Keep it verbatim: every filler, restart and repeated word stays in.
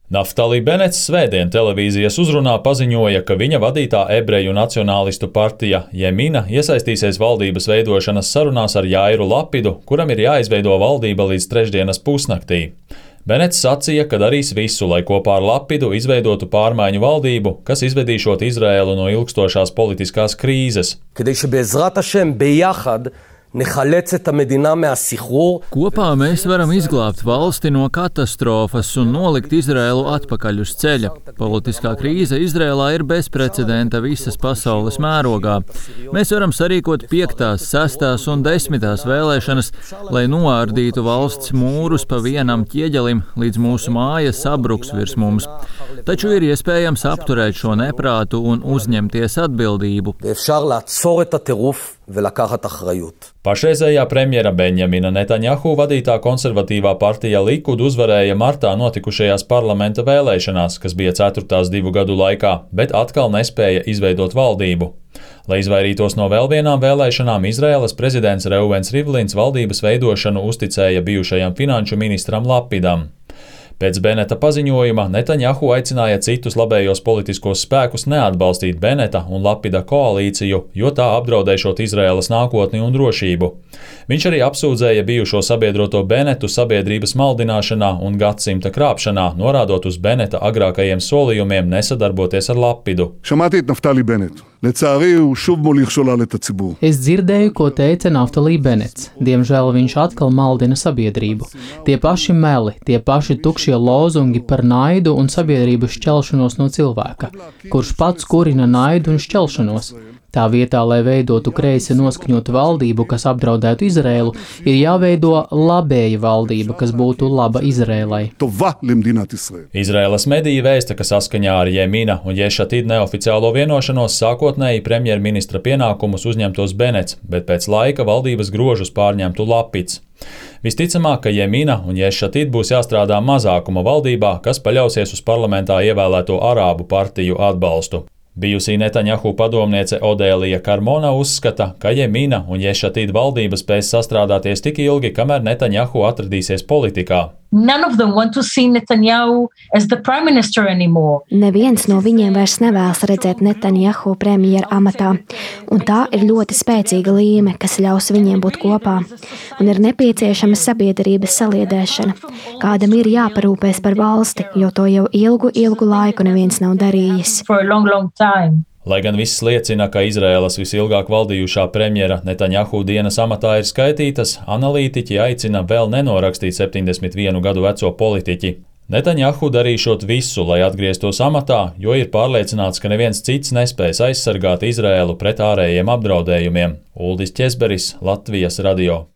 Naftali Benets svētdien televīzijas uzrunā paziņoja, ka viņa vadītā ebreju nacionālistu partija Jemina iesaistīsies valdības veidošanas sarunās ar Jairu Lapidu, kuram ir jāizveido valdība līdz trešdienas pusnaktī. Benets sacīja, ka darīs visu, lai kopā ar Lapidu izveidotu pārmaiņu valdību, kas izvedīšot Izraēlu no ilgstošās politiskās krīzes. Kopā mēs varam izglābt valsti no katastrofas un nolikt Izraēlu atpakaļ uz ceļa. Politiskā krīze Izraēlā ir bezprecedenta visas pasaules mērogā. Mēs varam sarīkot piektās, sestās un desmitās vēlēšanas, lai noārdītu valsts mūrus pa vienam ķieģelim, līdz mūsu māja sabruks virs mums. Taču ir iespējams apturēt šo neprātu un uzņemties atbildību. Pašreizējā premjera Benjamina Netanjahu vadītā konservatīvā partija Likud uzvarēja martā notikušajās parlamenta vēlēšanās, kas bija ceturtās divu gadu laikā, bet atkal nespēja izveidot valdību. Lai izvairītos no vēl vienām vēlēšanām, Izraēlas prezidents Reuvens Rivlins valdības veidošanu uzticēja bijušajam finanšu ministram Lapidam. Pēc Beneta paziņojuma Netanjahu aicināja citus labējos politiskos spēkus neatbalstīt Beneta un Lapida koalīciju, jo tā apdraudēšot Izraēlas nākotni un drošību. Viņš arī apsūdzēja bijušo sabiedroto Benetu sabiedrības maldināšanā un gadsimta krāpšanā, norādot uz Beneta agrākajiem solījumiem nesadarboties ar Lapidu. Es dzirdēju, ko teica Naftali Benets. Diemžēl viņš atkal maldina sabiedrību. Tie paši meli, tie paši tukšie lozungi par naidu un sabiedrības šķelšanos no cilvēka, kurš pats kurina naidu un šķelšanos. Tā vietā, lai veidotu kreisi noskaņotu valdību, kas apdraudētu Izraēlu, ir jāveido labēja valdība, kas būtu laba Izraēlai. Izraēlas mediji vēsta, ka saskaņā ar Jemina un Ješatid neoficiālo vienošanos sākotnēji premjerministra pienākumus uzņemtos Benets, bet pēc laika valdības grožus pārņemtu Lapids. Visticamāk, ka Jemina un Ješatid būs jāstrādā mazākuma valdībā, kas paļausies uz parlamentā ievēlēto arābu partiju atbalstu. Bijusī Netanjahu padomniece Odēlija Karmona uzskata, ka Jemina un Ješatid valdība spēs sastrādāties tik ilgi, kamēr Netanjahu atradīsies politikā. Neviens no viņiem vairs nevēlas redzēt Netanjahu premjera amatā, un tā ir ļoti spēcīga līme, kas ļaus viņiem būt kopā, un ir nepieciešama sabiedrības saliedēšana. Kādam ir jāparūpēs par valsti, jo to jau ilgu, ilgu laiku neviens nav darījis. Lai gan viss liecina, ka Izraēlas visilgāk valdījušā premjera Netanjahu dienas amatā ir skaitītas, analītiķi aicina vēl nenorakstīt septiņdesmit vienu gadu veco politiķi. Netanjahu darīšot visu, lai atgrieztos amatā, jo ir pārliecināts, ka neviens cits nespēs aizsargāt Izraēlu pret ārējiem apdraudējumiem. Uldis Ķesberis, Latvijas radio.